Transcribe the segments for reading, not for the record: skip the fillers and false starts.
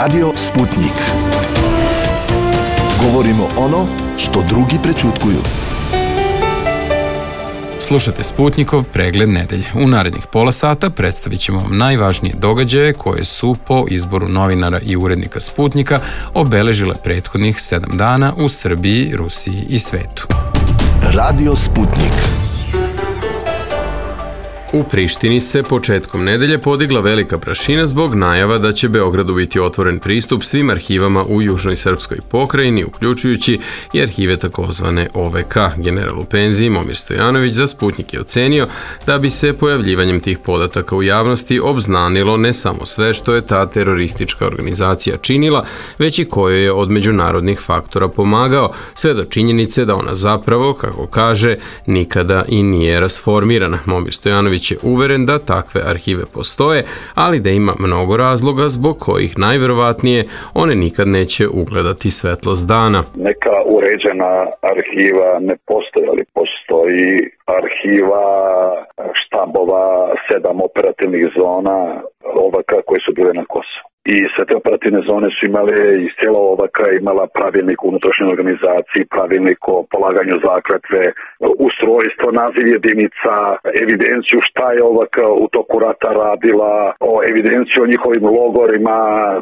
Radio Sputnik. Govorimo ono što drugi prećutkuju. Slušate Sputnikov pregled nedelje. U narednih pola sata predstavit ćemo vam najvažnije događaje koje su po izboru novinara i urednika Sputnika obeležile prethodnih 7 dana u Srbiji, Rusiji i svetu. Radio Sputnik. U Prištini se početkom nedelje podigla velika prašina zbog najava da će Beogradu biti otvoren pristup svim arhivama u južnoj srpskoj pokrajini, uključujući i arhive takozvane OVK. General u penziji Momir Stojanović za Sputnik je ocenio da bi se pojavljivanjem tih podataka u javnosti obznanilo ne samo sve što je ta teroristička organizacija činila, već i koje je od međunarodnih faktora pomagao, sve do činjenice da ona zapravo, kako kaže, nikada i nije rasformirana. Momir Stojanović je uveren da takve arhive postoje, ali da ima mnogo razloga zbog kojih najverovatnije one nikad neće ugledati svetlost dana. Neka uređena arhiva ne postoji, ali postoji arhiva štabova 7 operativnih zona OVK koje su bile na Kosovu. I sve te operativne zone su imale, iz cijela OVK imala pravilnik o unutrašnjoj organizaciji, pravilnik o polaganju zakletve, ustrojstvo, naziv jedinica, evidenciju šta je OVK u toku rata radila, o evidenciju o njihovim logorima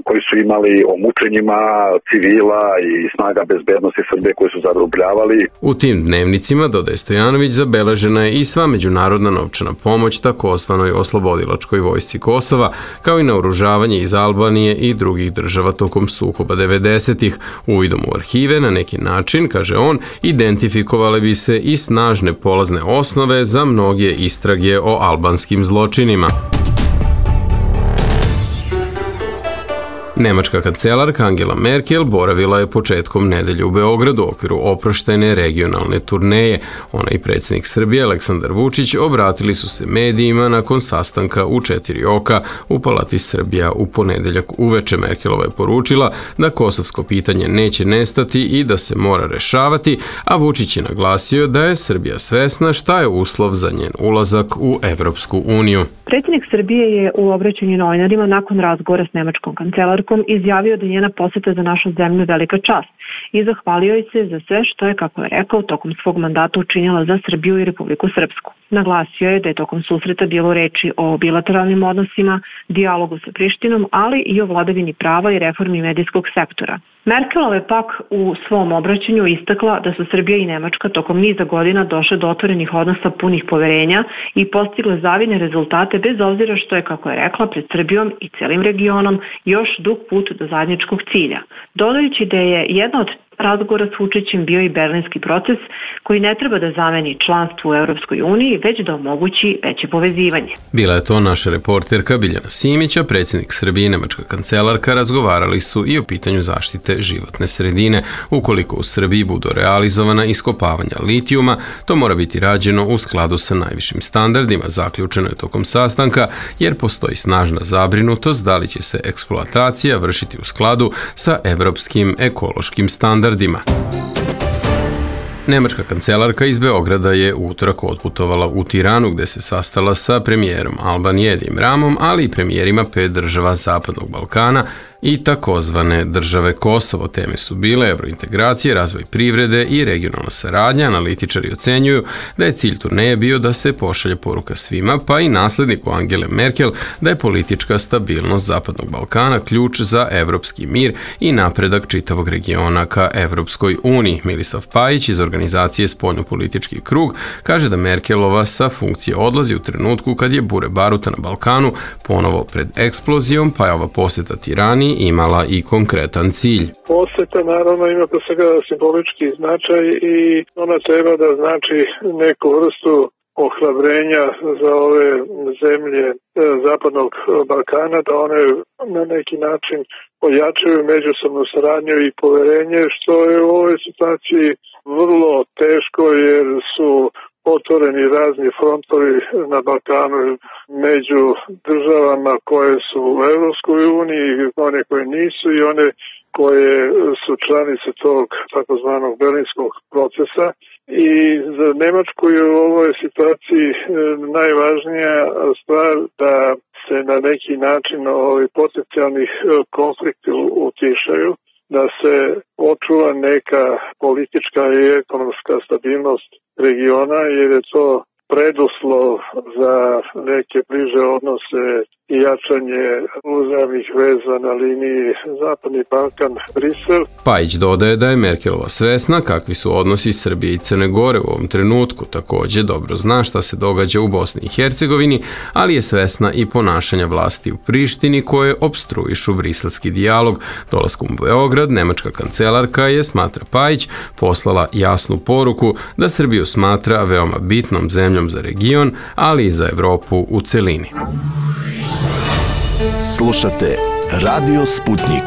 koji su imali, o mučenjima civila i snaga bezbednosti Srbije koji su zarobljavali. U tim dnevnicima, dodaje Stojanović, zabeležena je i sva međunarodna novčana pomoć takozvanoj oslobodilačkoj vojsci Kosova, kao i naoružavanje iz Albanije i drugih država tokom sukoba 90-ih. Uvidom u arhive na neki način, kaže on, identifikovale bi se i snažne polazne osnove za mnoge istrage o albanskim zločinima. Nemačka kancelarka Angela Merkel boravila je početkom nedelje u Beogradu u okviru oproštene regionalne turneje. Ona i predsjednik Srbije Aleksandar Vučić obratili su se medijima nakon sastanka u 4 oka u Palati Srbija u ponedeljak uveče. Merkelova je poručila da kosovsko pitanje neće nestati i da se mora rešavati, a Vučić je naglasio da je Srbija svesna šta je uslov za njen ulazak u Evropsku uniju. Predsjednik Srbije je u obraćanju novinarima nakon razgovora s nemačkom kancelarkom izjavio da je njena poseta za našu zemlju velika čast i zahvalio joj se za sve što je, kako je rekao, tokom svog mandata učinila za Srbiju i Republiku Srpsku. Naglasio je da je tokom susreta bilo reči o bilateralnim odnosima, dijalogu sa Prištinom, ali i o vladavini prava i reformi medijskog sektora. Merkelova je pak u svom obraćanju istakla da su Srbija i Nemačka tokom niza godina došle do otvorenih odnosa punih poverenja i postigle zavidne rezultate bez obzira što je, kako je rekla, pred Srbijom i celim regionom još dug put do zajedničkog cilja. Dodajući da je jedna od razgovora s Vučićem bio i berlinski proces koji ne treba da zameni članstvo u Europskoj uniji, već da omogući veće povezivanje. Bila je to naša reporterka Biljana Simića. Predsjednik Srbije i nemačka kancelarka razgovarali su i o pitanju zaštite životne sredine. Ukoliko u Srbiji budu realizovana iskopavanja litijuma, to mora biti rađeno u skladu sa najvišim standardima, zaključeno je tokom sastanka, jer postoji snažna zabrinutost da li će se eksploatacija vršiti u skladu sa evropskim ekološkim standardima. Nemačka kancelarka iz Beograda je u utorak otputovala u Tiranu gde se sastala sa premijerom Albanije Edijem Ramom, ali i premijerima 5 država Zapadnog Balkana i takozvane države Kosovo. Teme su bile evrointegracije, razvoj privrede i regionalna saradnja. Analitičari ocenjuju da je cilj turneje bio da se pošalje poruka svima, pa i nasledniku Angele Merkel, da je politička stabilnost Zapadnog Balkana ključ za evropski mir i napredak čitavog regiona ka Evropskoj uniji. Milisav Pajić iz organizacije Spoljnopolitički krug kaže da Merkelova sa funkcije odlazi u trenutku kad je bure baruta na Balkanu ponovo pred eksplozijom, pa je ova poseta Tirani imala i konkretan cilj. Poseta naravno ima pre svega simbolički značaj i ona treba da znači neku vrstu ohrabrenja za ove zemlje Zapadnog Balkana, da one na neki način ojačaju međusobnu saradnju i poverenje, što je u ovoj situaciji vrlo teško jer su otvoreni razni frontovi na Balkanu među državama koje su u Evropskoj uniji, one koje nisu i one koje su članice tog takozvanog berlinskog procesa. I za Nemačku je u ovoj situaciji najvažnija stvar da se na neki način potencijalnih konflikti utišaju, da se očuva neka politička i ekonomska stabilnost regiona, jer je to preduslov za neke bliže odnose i jačanje uzajamnih veza na liniji Zapadni Balkan-Brisel. Pajić dodaje da je Merkelova svesna kakvi su odnosi Srbije i Crne Gore u ovom trenutku. Takođe dobro zna šta se događa u Bosni i Hercegovini, ali je svesna i ponašanja vlasti u Prištini koje opstruišu briselski dijalog. Dolaskom u Beograd, nemačka kancelarka je, smatra Pajić, poslala jasnu poruku da Srbiju smatra veoma bitnom zemljom za region, ali i za Evropu u celini. Slušate Radio Sputnik.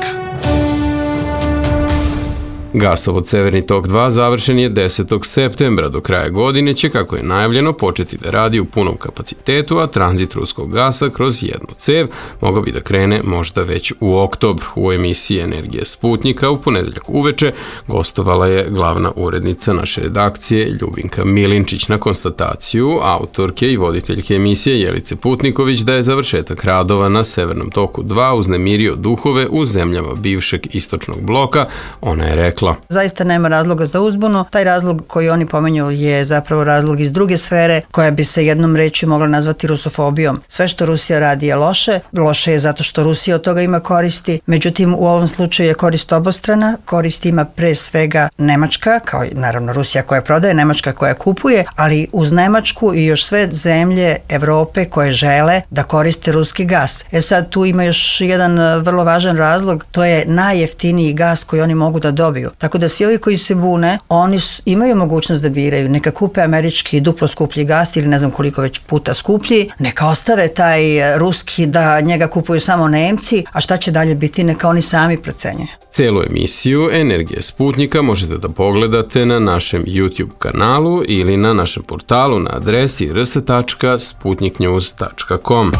Gasovod Severni tok 2 završen je 10. septembra. Do kraja godine će, kako je najavljeno, početi da radi u punom kapacitetu, a tranzit ruskog gasa kroz jednu cev mogao bi da krene možda već u oktobru. U emisiji Energije Sputnika u ponedeljak uveče gostovala je glavna urednica naše redakcije Ljubinka Milinčić. Na konstataciju autorke i voditeljke emisije Jelice Putniković da je završetak radova na Severnom toku 2 uznemirio duhove u zemljama bivšeg istočnog bloka, ona je rekla: Zaista nema razloga za uzbunu. Taj razlog koji oni pomenju je zapravo razlog iz druge sfere koja bi se jednom rečju mogla nazvati rusofobijom. Sve što Rusija radi je loše. Loše je zato što Rusija od toga ima koristi. Međutim, u ovom slučaju je korist obostrana. Korist ima pre svega Nemačka, kao i naravno Rusija koja prodaje, Nemačka koja kupuje, ali uz Nemačku i još sve zemlje Evrope koje žele da koriste ruski gas. Sad tu ima još jedan vrlo važan razlog, to je najjeftiniji gas koji oni mogu da dobiju. Tako da svi ovi koji se bune, oni imaju mogućnost da biraju. Neka kupe američki duplo skuplji gas ili ne znam koliko već puta skuplji, neka ostave taj ruski da njega kupuju samo Nemci, a šta će dalje biti neka oni sami procenjuju. Celu emisiju Energije Sputnika možete da pogledate na našem YouTube kanalu ili na našem portalu na adresi rs.sputniknews.com.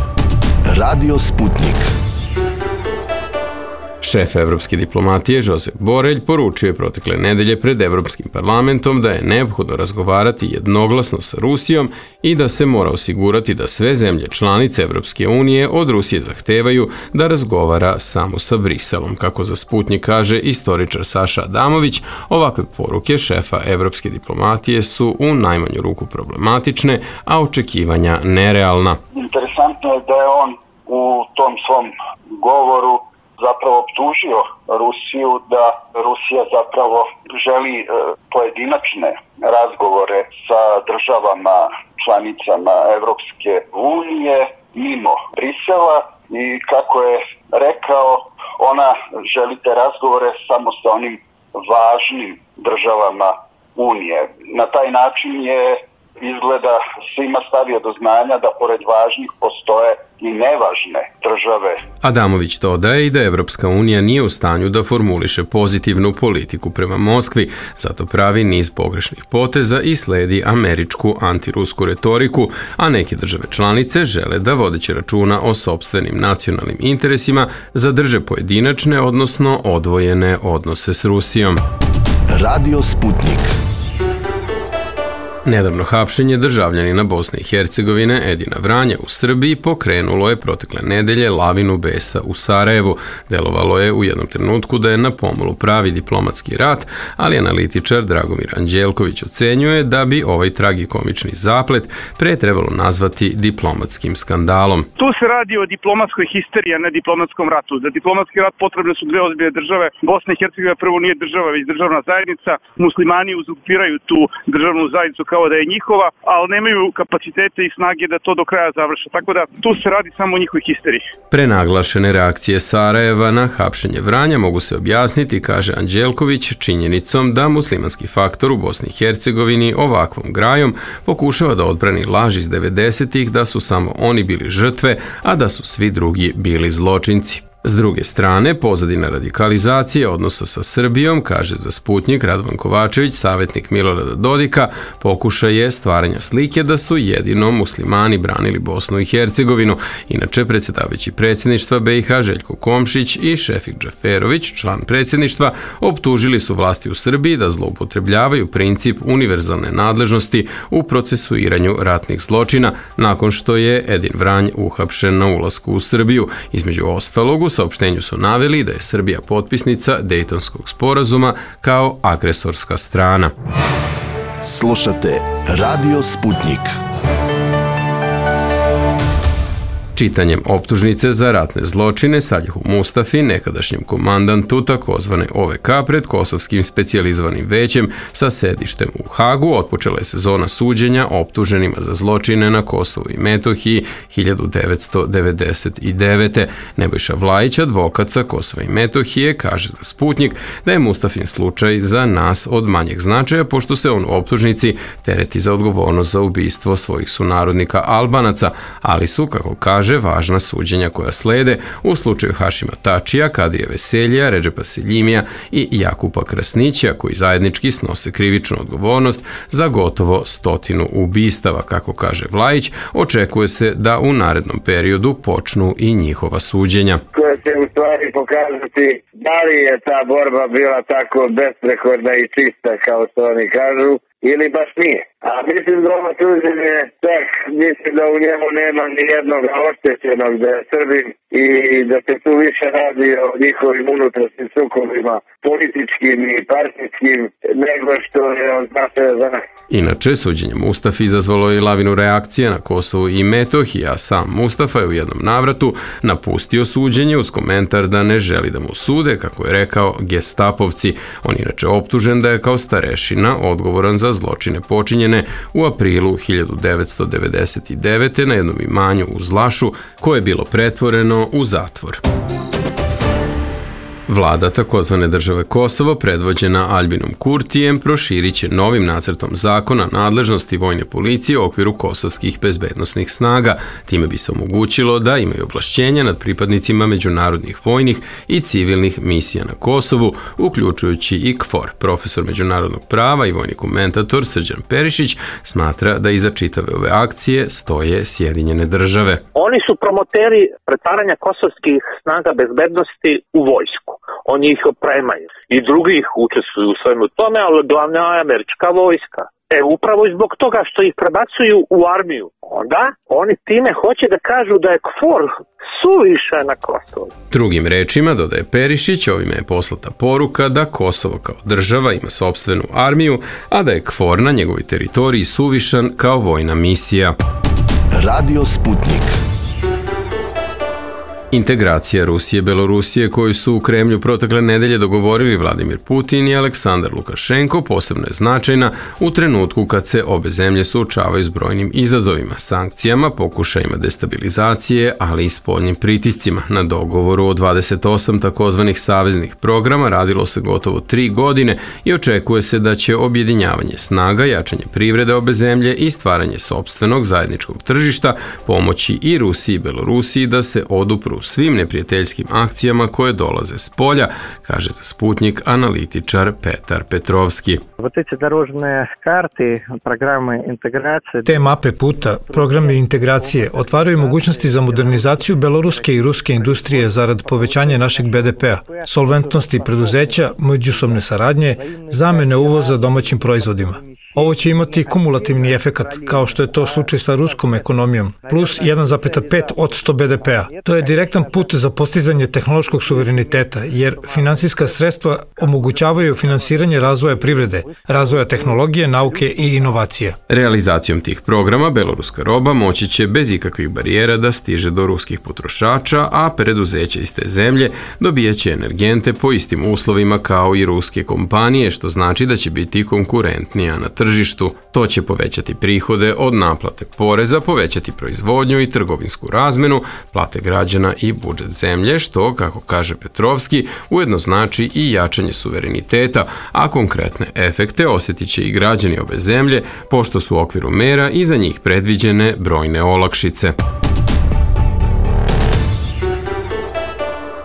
Radio Sputnik. Šef evropske diplomatije Josep Borelj poručio je protekle nedelje pred Evropskim parlamentom da je neophodno razgovarati jednoglasno sa Rusijom i da se mora osigurati da sve zemlje članice Evropske unije od Rusije zahtevaju da razgovara samo sa Briselom. Kako za Sputnik kaže istoričar Saša Adamović, ovakve poruke šefa evropske diplomatije su u najmanju ruku problematične, a očekivanja nerealna. Interesantno je da je on u tom svom govoru zapravo optužio Rusiju da Rusija zapravo želi pojedinačne razgovore sa državama članicama Evropske unije mimo Brisela i kako je rekao, ona želi te razgovore samo sa onim važnim državama Unije. Na taj način je izgleda svima stavio do znanja da pored važnih postoje i nevažne države. Adamović dodaje i da Evropska unija nije u stanju da formuliše pozitivnu politiku prema Moskvi, zato pravi niz pogrešnih poteza i sledi američku antirusku retoriku, a neke države članice žele da vodeći računa o sopstvenim nacionalnim interesima zadrže pojedinačne, odnosno odvojene odnose s Rusijom. Radio Sputnik. Nedavno hapšenje državljanina Bosne i Hercegovine Edina Vranja u Srbiji pokrenulo je protekle nedelje lavinu besa u Sarajevu. Delovalo je u jednom trenutku da je na pomolu pravi diplomatski rat, ali analitičar Dragomir Anđelković ocenjuje da bi ovaj tragikomični zaplet pre trebalo nazvati diplomatskim skandalom. Tu se radi o diplomatskoj histeriji, a ne diplomatskom ratu. Za diplomatski rat potrebne su dve ozbiljne države. Bosna i Hercegovina prvo nije država, već državna zajednica. Muslimani uzurpiraju tu državnu zajednicu kao da je njihova, ali nemaju kapacitete i snage da to do kraja završe. Tako da tu se radi samo o njihovoj histeriji. Prenaglašene reakcije Sarajeva na hapšenje Vranja mogu se objasniti, kaže Anđelković, činjenicom da muslimanski faktor u Bosni i Hercegovini ovakvom grajom pokušava da odbrani laž iz 90-ih da su samo oni bili žrtve, a da su svi drugi bili zločinci. S druge strane, pozadina radikalizacije odnosa sa Srbijom, kaže za Sputnjik Radovan Kovačević, savjetnik Milorada Dodika, pokušaj je stvaranja slike da su jedino muslimani branili Bosnu i Hercegovinu. Inače, predsjedavajući predsjedništva BiH Željko Komšić i Šefik Džaferović, član predsjedništva, optužili su vlasti u Srbiji da zloupotrebljavaju princip univerzalne nadležnosti u procesuiranju ratnih zločina nakon što je Edin Vranj uhapšen na ulasku u Srbiju. Između ostalog, u saopštenju su naveli da je Srbija potpisnica Dejtonskog sporazuma kao agresorska strana. Slušate Radio Sputnik. Čitanjem optužnice za ratne zločine Salihu Mustafi, nekadašnjem komandantu takozvane OVK pred Kosovskim specijalizovanim većem sa sedištem u Hagu, otpočela je sezona suđenja optuženima za zločine na Kosovu i Metohiji 1999. Nebojša Vlajić, advokat sa Kosova i Metohije, kaže za Sputnjik da je Mustafin slučaj za nas od manjeg značaja, pošto se on u optužnici tereti za odgovornost za ubistvo svojih sunarodnika Albanaca, ali su, kako kaže, važna suđenja koja slede u slučaju Hašima Tačija, Kadrija Veseljija, Redžepa Seljimija i Jakupa Krasnića, koji zajednički snose krivičnu odgovornost za gotovo 100 ubistava. Kako kaže Vlajić, očekuje se da u narednom periodu počnu i njihova suđenja. Koja će u stvari pokazati da li je ta borba bila tako besprekorna i čista kao što oni kažu, ili baš nije. A mislim da ovo suđenje, tak, mislim da u njemu nema ni jednog oštećenog da je Srbin i da se tu više radi o njihovim unutrašnjim sukobima, političkim i partijskim, nego što je on značaja za nas. Inače, suđenje Mustafi izazvalo je lavinu reakcije na Kosovu i Metohiji, a sam Mustafa je u jednom navratu napustio suđenje uz komentar da ne želi da mu sude, kako je rekao, gestapovci. On inače optužen da je kao starešina odgovoran za zločine počinjene u aprilu 1999. na jednom imanju u Zlašu, koje je bilo pretvoreno u zatvor. Vlada takozvane države Kosovo, predvođena Albinom Kurtijem, proširit će novim nacrtom zakona nadležnosti vojne policije u okviru kosovskih bezbednosnih snaga. Time bi se omogućilo da imaju ovlašćenja nad pripadnicima međunarodnih vojnih i civilnih misija na Kosovu, uključujući i KFOR. Profesor međunarodnog prava i vojni komentator Srđan Perišić smatra da iza čitave ove akcije stoje Sjedinjene države. Oni su promoteri pretvaranja kosovskih snaga bezbednosti u vojsku. Oni ih opremaju i drugi ih učestvuju u svemu tome, ali glavna je američka vojska. Upravo zbog toga što ih prebacuju u armiju. Onda oni time hoće da kažu da je KFOR suviše na Kosovu. Drugim rečima, dodaje Perišić, ovime je poslata poruka da Kosovo kao država ima sopstvenu armiju, a da je KFOR na njegovoj teritoriji suvišan kao vojna misija. Radio Sputnik. Integracija Rusije i Belorusije koju su u Kremlju protekle nedelje dogovorili Vladimir Putin i Aleksandar Lukašenko posebno je značajna u trenutku kad se obe zemlje suočavaju s brojnim izazovima, sankcijama, pokušajima destabilizacije, ali i spoljnim pritiscima. Na dogovoru o 28 takozvanih saveznih programa radilo se gotovo 3 godine i očekuje se da će objedinjavanje snaga, jačanje privrede obe zemlje i stvaranje sopstvenog zajedničkog tržišta pomoći i Rusiji i Belorusiji da se odupru svim neprijateljskim akcijama koje dolaze s polja, kaže za Sputnik analitičar Petar Petrovski. Te mape puta, programi integracije otvaraju mogućnosti za modernizaciju beloruske i ruske industrije zarad povećanja našeg BDP-a, solventnosti preduzeća, međusobne saradnje, zamene uvoza domaćim proizvodima. Ovo će imati kumulativni efekat, kao što je to slučaj sa ruskom ekonomijom, plus 1,5% BDP-a. To je direktan put za postizanje tehnološkog suvereniteta, jer finansijska sredstva omogućavaju finansiranje razvoja privrede, razvoja tehnologije, nauke i inovacija. Realizacijom tih programa beloruska roba moći će bez ikakvih barijera da stiže do ruskih potrošača, a preduzeća iz te zemlje dobijaće energente po istim uslovima kao i ruske kompanije, što znači da će biti konkurentnija na tržištu. To će povećati prihode od naplate poreza, povećati proizvodnju i trgovinsku razmenu, plate građana i budžet zemlje, što, kako kaže Petrovski, ujedno znači i jačanje suvereniteta, a konkretne efekte osjetit će i građani obe zemlje, pošto su u okviru mera i za njih predviđene brojne olakšice.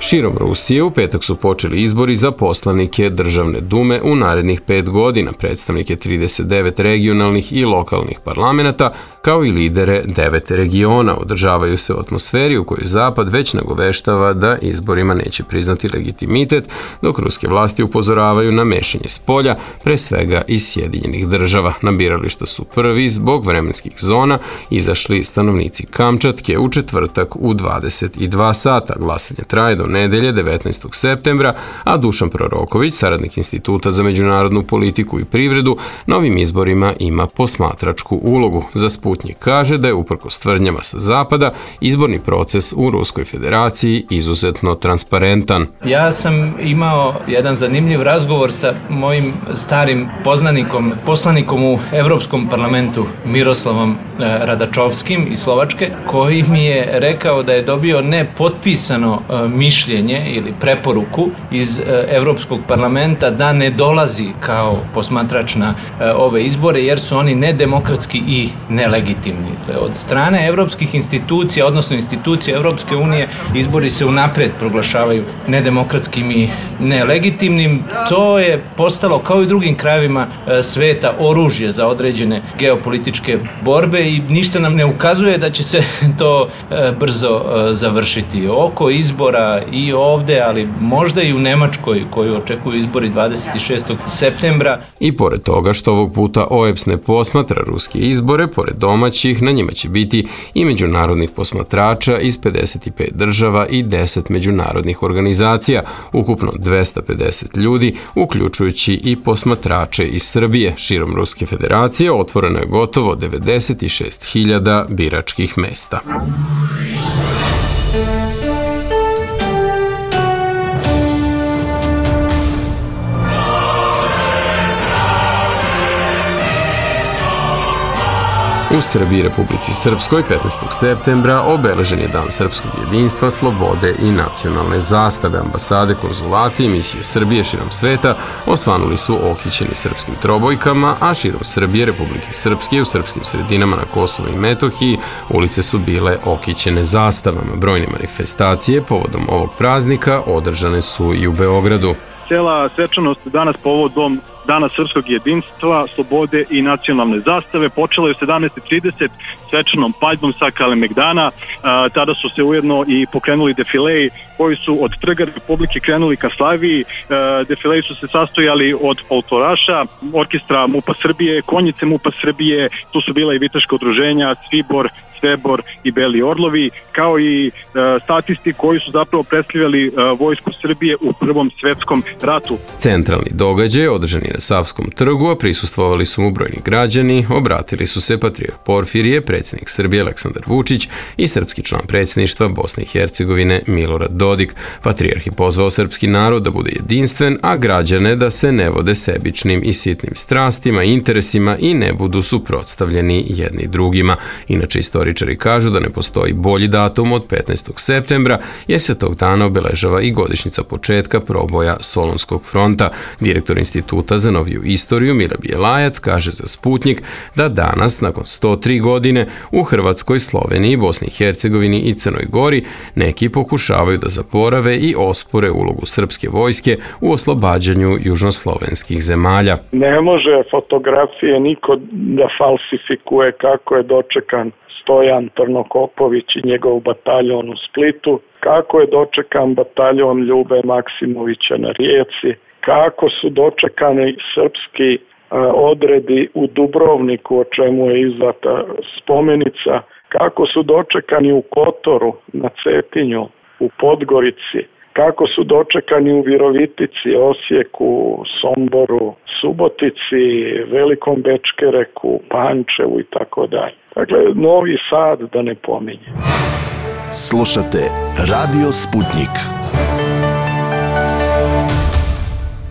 Širom Rusije u petak su počeli izbori za poslanike Državne dume u narednih 5 godina, predstavnike 39 regionalnih i lokalnih parlamenta, kao i lidere 9 regiona. Održavaju se u atmosferi u kojoj Zapad već nagoveštava da izborima neće priznati legitimitet, dok ruske vlasti upozoravaju na mešanje spolja, pre svega iz Sjedinjenih država. Na birališta su prvi zbog vremenskih zona izašli stanovnici Kamčatke u četvrtak u 22 sata. Glasanje traje do nedelje 19. septembra, a Dušan Proroković, saradnik Instituta za međunarodnu politiku i privredu, na ovim izborima ima posmatračku ulogu. Za Sputnjik kaže da je uprkos tvrdnjama sa zapada izborni proces u Ruskoj federaciji izuzetno transparentan. Ja sam imao jedan zanimljiv razgovor sa mojim starim poznanikom, poslanikom u Evropskom parlamentu Miroslavom Radačovskim iz Slovačke, koji mi je rekao da je dobio nepotpisano mišljenje ili preporuku iz Evropskog parlamenta da ne dolazi kao posmatrač na ove izbore jer su oni nedemokratski i nelegitimni. Od strane evropskih institucija, odnosno institucija Evropske unije, izbori se unapred proglašavaju nedemokratskim i nelegitimnim. To je postalo, kao i drugim krajevima sveta, oružje za određene geopolitičke borbe i ništa nam ne ukazuje da će se to brzo završiti. Oko izbora i ovde, ali možda i u Nemačkoj, koju očekuju izbori 26. septembra. I pored toga što ovog puta OEBS ne posmatra ruske izbore, pored domaćih, na njima će biti i međunarodnih posmatrača iz 55 država i 10 međunarodnih organizacija, ukupno 250 ljudi, uključujući i posmatrače iz Srbije. Širom Ruske federacije otvoreno je gotovo 96.000 biračkih mesta. U Srbiji i Republici Srpskoj 15. septembra obeležen je Dan srpskog jedinstva, slobode i nacionalne zastave. Ambasade, konzulati i misije Srbije širom sveta osvanuli su okićeni srpskim trobojkama, a širom Srbije, Republike Srpske i u srpskim sredinama na Kosovu i Metohiji ulice su bile okićene zastavama. Brojne manifestacije povodom ovog praznika održane su i u Beogradu. Cela svečanost danas povodom Dana srpskog jedinstva, slobode i nacionalne zastave počela je u 17:30 svečanom paljbom sa Kalemegdana. Tada su se ujedno i pokrenuli defileji koji su od Trga Republike krenuli ka Slaviji. Defileji su se sastojali od folkloraša, orkestra MUP-a Srbije, konjice MUP-a Srbije, tu su bila i vitaška udruženja, Svibor, Svebor i Beli Orlovi, kao i statisti koji su zapravo predstavljali vojsku Srbije u Prvom svetskom ratu. Centralni događaj održan je na Savskom trgu, a prisustvovali su mu brojni građani, obratili su se patrijarh Porfirije, predsjednik Srbije Aleksandar Vučić i srpski član predsjedništva Bosne i Hercegovine Milorad Dodik. Patrijarh je pozvao srpski narod da bude jedinstven, a građane da se ne vode sebičnim i sitnim strastima i interesima i ne budu suprotstavljeni jedni drugima. Inače, istoričari kažu da ne postoji bolji datum od 15. septembra, jer se tog dana obeležava i godišnjica početka proboja Solunskog fronta. Direktor Instituta za noviju istoriju Mila Bijelajac kaže za Sputnjik da danas, nakon 103 godine, u Hrvatskoj, Sloveniji, Bosni i Hercegovini i Crnoj Gori neki pokušavaju da zaborave i ospore ulogu srpske vojske u oslobađanju južnoslovenskih zemalja. Ne može fotografije niko da falsifikuje kako je dočekan Stojan Trnokopović i njegov bataljon u Splitu, kako je dočekan bataljon Ljube Maksimovića na Rijeci, kako su dočekani srpski odredi u Dubrovniku, o čemu je izdata spomenica, kako su dočekani u Kotoru, na Cetinju, u Podgorici, kako su dočekani u Virovitici, Osijeku, Somboru, Subotici, Velikom Bečkereku, Pančevu i tako dalje. Dakle, Novi Sad da ne pominjem. Slušate Radio Sputnik.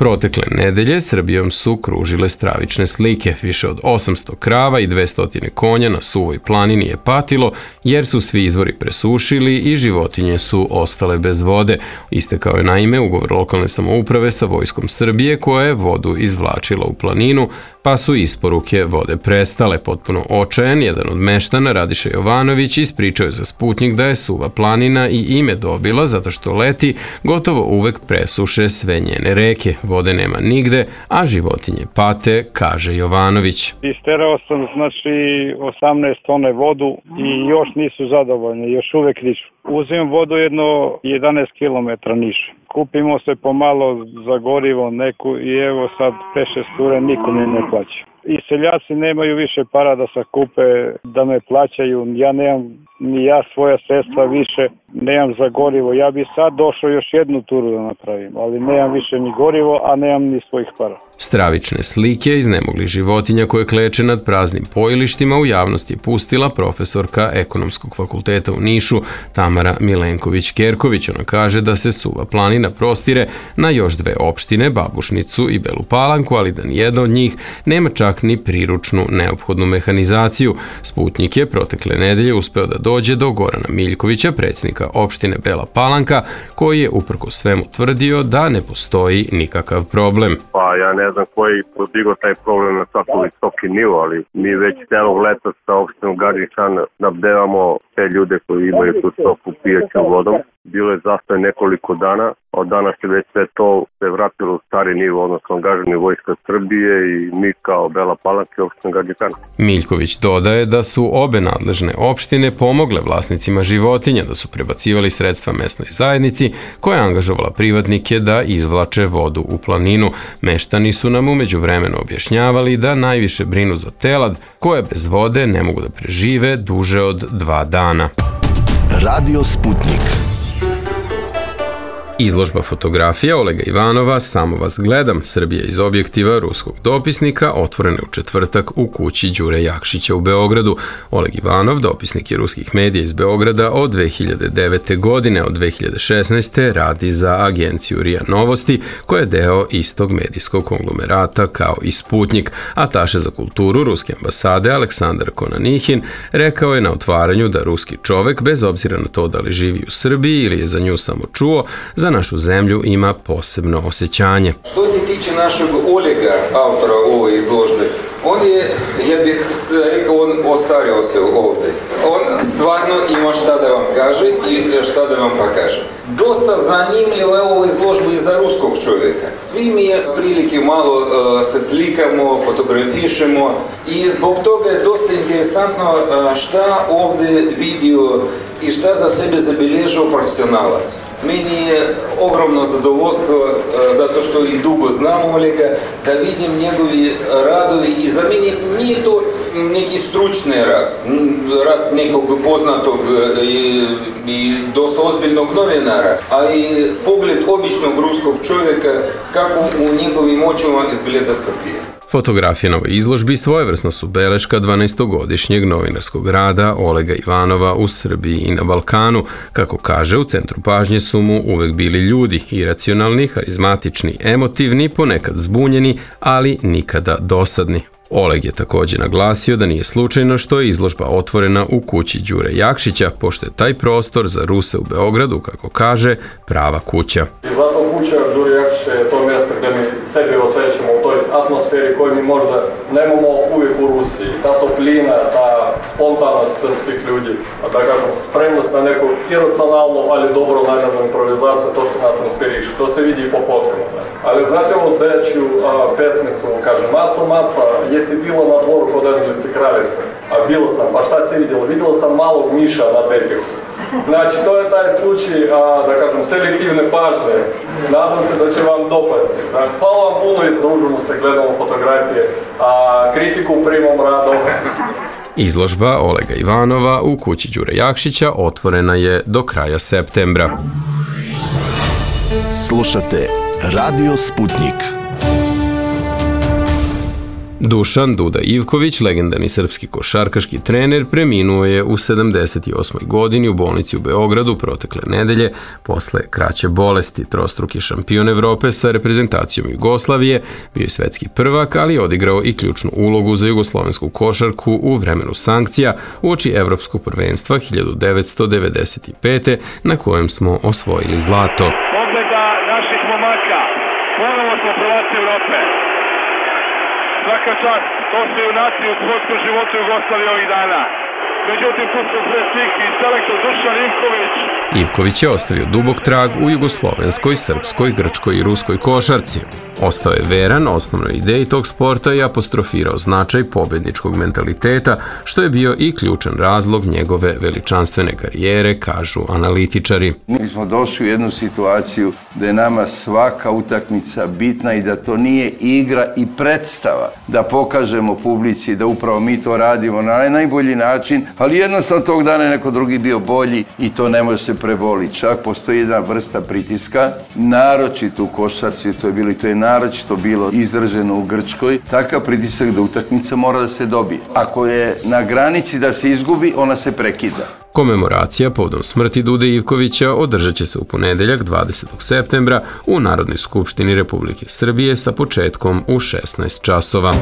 Protekle nedelje Srbijom su kružile stravične slike. Više od 800 krava i 200 konja na suvoj planini je patilo jer su svi izvori presušili i životinje su ostale bez vode. Istekao je naime ugovor lokalne samouprave sa Vojskom Srbije koja je vodu izvlačila u planinu, pa su isporuke vode prestale. Potpuno očajan, jedan od meštana, Radiša Jovanović, ispričao je za Sputnjik da je suva planina i ime dobila zato što leti gotovo uvek presuše sve njene reke. Vode nema nigde, a životinje pate, kaže Jovanović. Isterao sam 18 tone vodu i još nisu zadovoljni, još uvek nisu. Uzimam vodu jedno 11 km niže. Kupimo se pomalo za gorivo neku i evo sad 5-6 ture niko mi ne plaća. I seljaci nemaju više para da sakupe, da me plaćaju. Ja nemam ni ja svoja sredstva više, nemam za gorivo. Ja bi sad došao još jednu turu da napravim, ali nemam više ni gorivo, a nemam ni svojih para. Stravične slike iznemoglih životinja koje kleče nad praznim pojilištima u javnosti je pustila profesorka Ekonomskog fakulteta u Nišu Tamara Milenković-Kerković. Ona kaže da se suva planina prostire na još 2 opštine, Babušnicu i Belu Palanku, ali da nijedna od njih nema čak ni priručnu neophodnu mehanizaciju. Sputnjik je protekle nedelje uspeo da dođe do Gorana Miljkovića, predsjednika opštine Bela Palanka, koji je uprkos svemu tvrdio da ne postoji nikakav problem. Pa ja ne znam koji podigao taj problem na tako visoki nivo, ali mi već celog leta sa opštinom Gadžin Han nabdevamo te ljude koji imaju tu stoku pijaćom vodom. Bilo je zastoj nekoliko dana, od danas je već sve to se vratilo u stari nivo, odnosno angažovanje Vojska Srbije i mi kao Bela Palanka i opština Gadžin Han. Miljković dodaje da su obe nadležne opštine pomogle vlasnicima životinja, da su prebacivali sredstva mesnoj zajednici koja je angažovala privatnike da izvlače vodu u planinu. Meštani su nam umeđu vremenu objašnjavali da najviše brinu za telad koje bez vode ne mogu da prežive duže od 2 dana. Radio Sputnik. Izložba fotografija Olega Ivanova Samo vas gledam, Srbija iz objektiva ruskog dopisnika, otvorena je u četvrtak u kući Đure Jakšića u Beogradu. Oleg Ivanov, dopisnik je ruskih medija iz Beograda od 2009. godine. Od 2016. radi za agenciju RIA Novosti, koja je deo istog medijskog konglomerata kao i Sputnjik. Ataše za kulturu ruske ambasade Aleksandar Konanihin rekao je na otvaranju da ruski čovek, bez obzira na to da li živi u Srbiji ili je za nju samo čuo, za našu zemlju ima posebno osjećanje. Što se tiče našeg Olega, autora ove izložbe, on je, ja bih rekao, on ostario se ovdje. On stvarno ima šta da vam kaže i šta da vam pokaže. Dosta zanimljivo je ovo izložba i za ruskog čovjeka. Svi mi je prilike malo se slikamo, fotografišemo i zbog toga je dosta interesantno šta ovdje vidio i šta za sebe zabilježio profesionalac. Meni je ogromno zadovoljstvo, zato što i dugo znam Olega, da vidim njegovi radovi i za mene nije to neki stručni rad nekog poznatog i dosta ozbiljnog novinara, a i pogled običnog ruskog čovjeka kako u njegovim očima izgleda Srbija. Fotografije na ovoj izložbi svojevrsna su beleška 12-godišnjeg novinarskog rada Olega Ivanova u Srbiji i na Balkanu. Kako kaže, u centru pažnje su mu uvek bili ljudi, iracionalni, harizmatični, emotivni, ponekad zbunjeni, ali nikada dosadni. Oleg je također naglasio da nije slučajno što je izložba otvorena u kući Đure Jakšića, pošto je taj prostor za Ruse u Beogradu, kako kaže, prava kuća. Zato kuća Đure Jakšića je to mjesto gdje mi sebi osjećamo u toj atmosferi koju mi možda nemamo uvijek u Rusiji. Ta toplina, ta spontanost srpskih ljudi, a da kažem, spremnost na neku iracionalnu, ali dobro namjernu improvizaciju, to što nas inspiriše. To se vidi i po fotkama. Ali znate ovu dečju pesmicu, kaže, Maco, Maca, jesi bilo na dvoru kod engleske kraljice? A bilo sam, pa šta si vidjela? Vidjela sam malog miša na tepihu. Znači, to je taj slučaj, da kažem, selektivne pažnje. Nadam se da će vam dopasti. Hvala vam puno i družimo se, gledamo fotografije, a kritiku primam rado. Izložba Olega Ivanova u kući Đure Jakšića otvorena je do kraja septembra. Slušate Radio Sputnik. Dušan Duda Ivković, legendarni srpski košarkaški trener, preminuo je u 78. godini u bolnici u Beogradu protekle nedelje posle kraće bolesti. Trostruki šampion Evrope sa reprezentacijom Jugoslavije, bio je svetski prvak, ali je odigrao i ključnu ulogu za jugoslovensku košarku u vremenu sankcija uoči Evropskog prvenstva 1995. na kojem smo osvojili zlato. Pogleda naših momaka, ponovo smo prvaci Evrope. Svaka čast, to su junaci u sportskom životu Jugoslavije ovih dana. Međutim, tu su pre svih i selektor Dušan Ivković. Ivković je ostavio dubok trag u jugoslovenskoj, srpskoj, grčkoj i ruskoj košarci. Ostao je veran osnovnoj ideji tog sporta i apostrofirao značaj pobedničkog mentaliteta, što je bio i ključan razlog njegove veličanstvene karijere, kažu analitičari. Mi smo došli u jednu situaciju da je nama svaka utakmica bitna i da to nije igra i predstava. Da pokažemo publici da upravo mi to radimo na najbolji način, ali jednostavno tog dana je neko drugi bio bolji i to ne može se preboliti. Čak postoji jedna vrsta pritiska, naročito u košarci, to je naročito bilo izraženo u Grčkoj, takav pritisak da utakmica mora da se dobije. Ako je na granici da se izgubi, ona se prekida. Komemoracija povodom smrti Dude Ivkovića održat će se u ponedeljak 20. septembra u Narodnoj skupštini Republike Srbije sa početkom u 16 časova.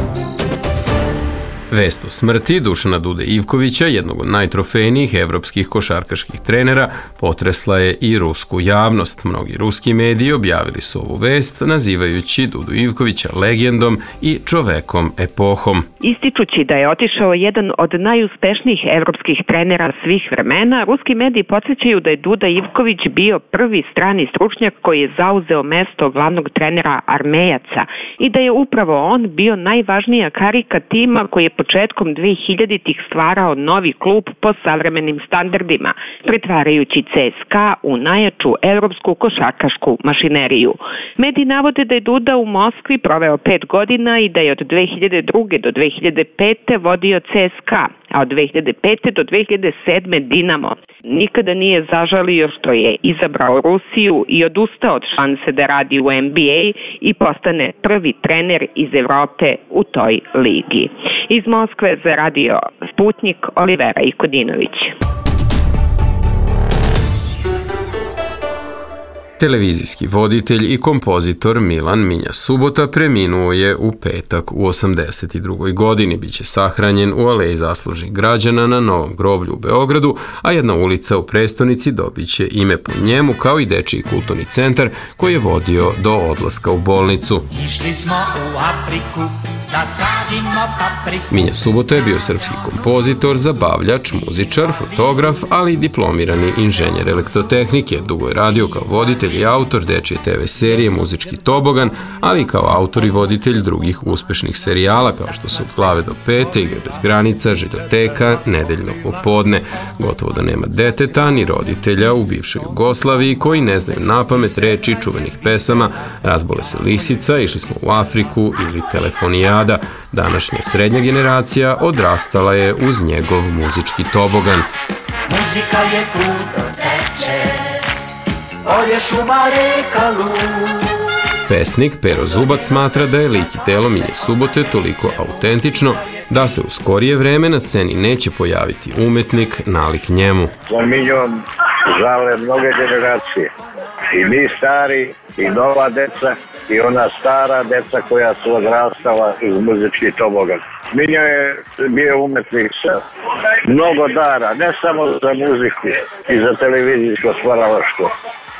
Vest o smrti Dušana Dude Ivkovića, jednog od najtrofejnijih evropskih košarkaških trenera, potresla je i rusku javnost. Mnogi ruski mediji objavili su ovu vest, nazivajući Dudu Ivkovića legendom i čovekom epohom. Ističući da je otišao jedan od najuspešnijih evropskih trenera svih vremena, ruski mediji podsjećaju da je Duda Ivković bio prvi strani stručnjak koji je zauzeo mesto glavnog trenera Armejaca i da je upravo on bio najvažnija karika tima koji je početkom 2000-ih stvarao novi klub po savremenim standardima, pretvarajući CSKA u najjaču evropsku košarkašku mašineriju. Mediji navode da je Duda u Moskvi proveo 5 godina i da je od 2002. do 2005. vodio CSKA, a od 2005. do 2007. Dinamo. Nikada nije zažalio što je izabrao Rusiju i odustao od šanse da radi u NBA i postane prvi trener iz Evrope u toj ligi. Iz Moskve za radio Sputnik, Olivera Ikodinović. Televizijski voditelj i kompozitor Milan Minja Subota preminuo je u petak u 82. godini. Biće sahranjen u Aleji zaslužnih građana na Novom groblju u Beogradu, a jedna ulica u prestonici dobit će ime po njemu, kao i dečiji kulturni centar koji je vodio do odlaska u bolnicu. Išli smo u Afriku da sadimo papriku. Minja Subota je bio srpski kompozitor, zabavljač, muzičar, fotograf, ali i diplomirani inženjer elektrotehnike. Dugo je radio kao voditelj i autor dečije TV serije Muzički tobogan, ali i kao autor i voditelj drugih uspešnih serijala kao što su Od glave do pete, Igre bez granica, Željoteka, Nedeljno popodne. Gotovo da nema deteta ni roditelja u bivšoj Jugoslaviji koji ne znaju napamet reči čuvenih pesama Razbole se lisica, Išli smo u Afriku ili Telefonijada. Današnja srednja generacija odrastala je uz njegov muzički tobogan. Muzika je put do sreće, polje, šuma, reka, lud. Pesnik Pero Zubac smatra da je lik i telo Minje Subote toliko autentično da se u skorije vreme na sceni neće pojaviti umetnik nalik njemu. Za Minjom žale mnoge generacije. I mi stari, i nova deca, i ona stara deca koja su odrastala iz muzičkih tobogan. Minjo je bio umetnik sa mnogo dara, ne samo za muziku i za televizijsko stvaralaštvo.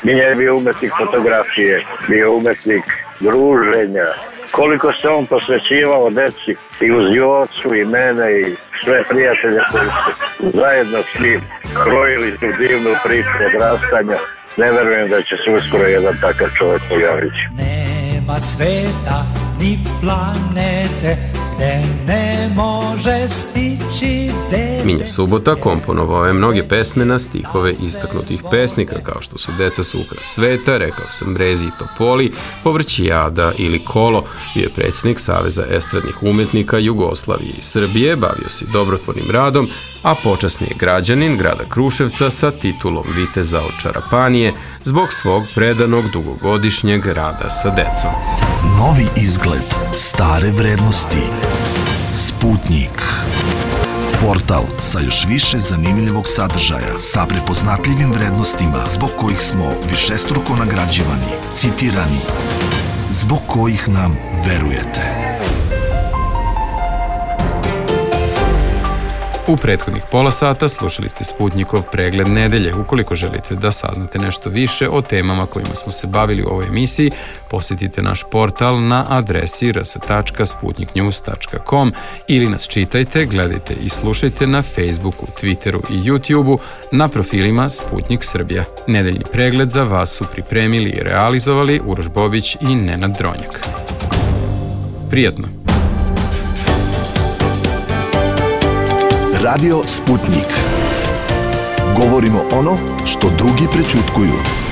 Minjo je bio umetnik fotografije, bio umetnik druženja. Koliko se on posvećivao deci i uz Jocu i mene i sve prijatelje koji su zajedno s njim krojili tu divnu priču odrastanja. Ne verujem da će se uskoro jedan takav čovjek pojaviti. Nema sveta ni planete gde ne može stići dete. Minja Subota komponovao je mnoge pesme na stihove istaknutih pesnika kao što su Deca su ukras sveta, Rekao sam Brezi i Topoli, Povrći jada ili Kolo. Bio je predsjednik Saveza estradnih umetnika Jugoslavije i Srbije, bavio se dobrotvornim radom, a počasni je građanin grada Kruševca sa titulom viteza od Čarapanije zbog svog predanog dugogodišnjeg rada sa decom. Novi izgled, stare vrednosti. Sputnik. Portal sa još više zanimljivog sadržaja, sa prepoznatljivim vrednostima zbog kojih smo višestruko nagrađivani, citirani, zbog kojih nam verujete. U prethodnih pola sata slušali ste Sputnikov pregled nedelje. Ukoliko želite da saznate nešto više o temama kojima smo se bavili u ovoj emisiji, posjetite naš portal na adresi rs.sputniknews.com ili nas čitajte, gledajte i slušajte na Facebooku, Twitteru i YouTubeu na profilima Sputnik Srbija. Nedeljni pregled za vas su pripremili i realizovali Uroš Bobić i Nenad Dronjak. Prijatno! Radio Sputnik. Govorimo ono što drugi prećutkuju.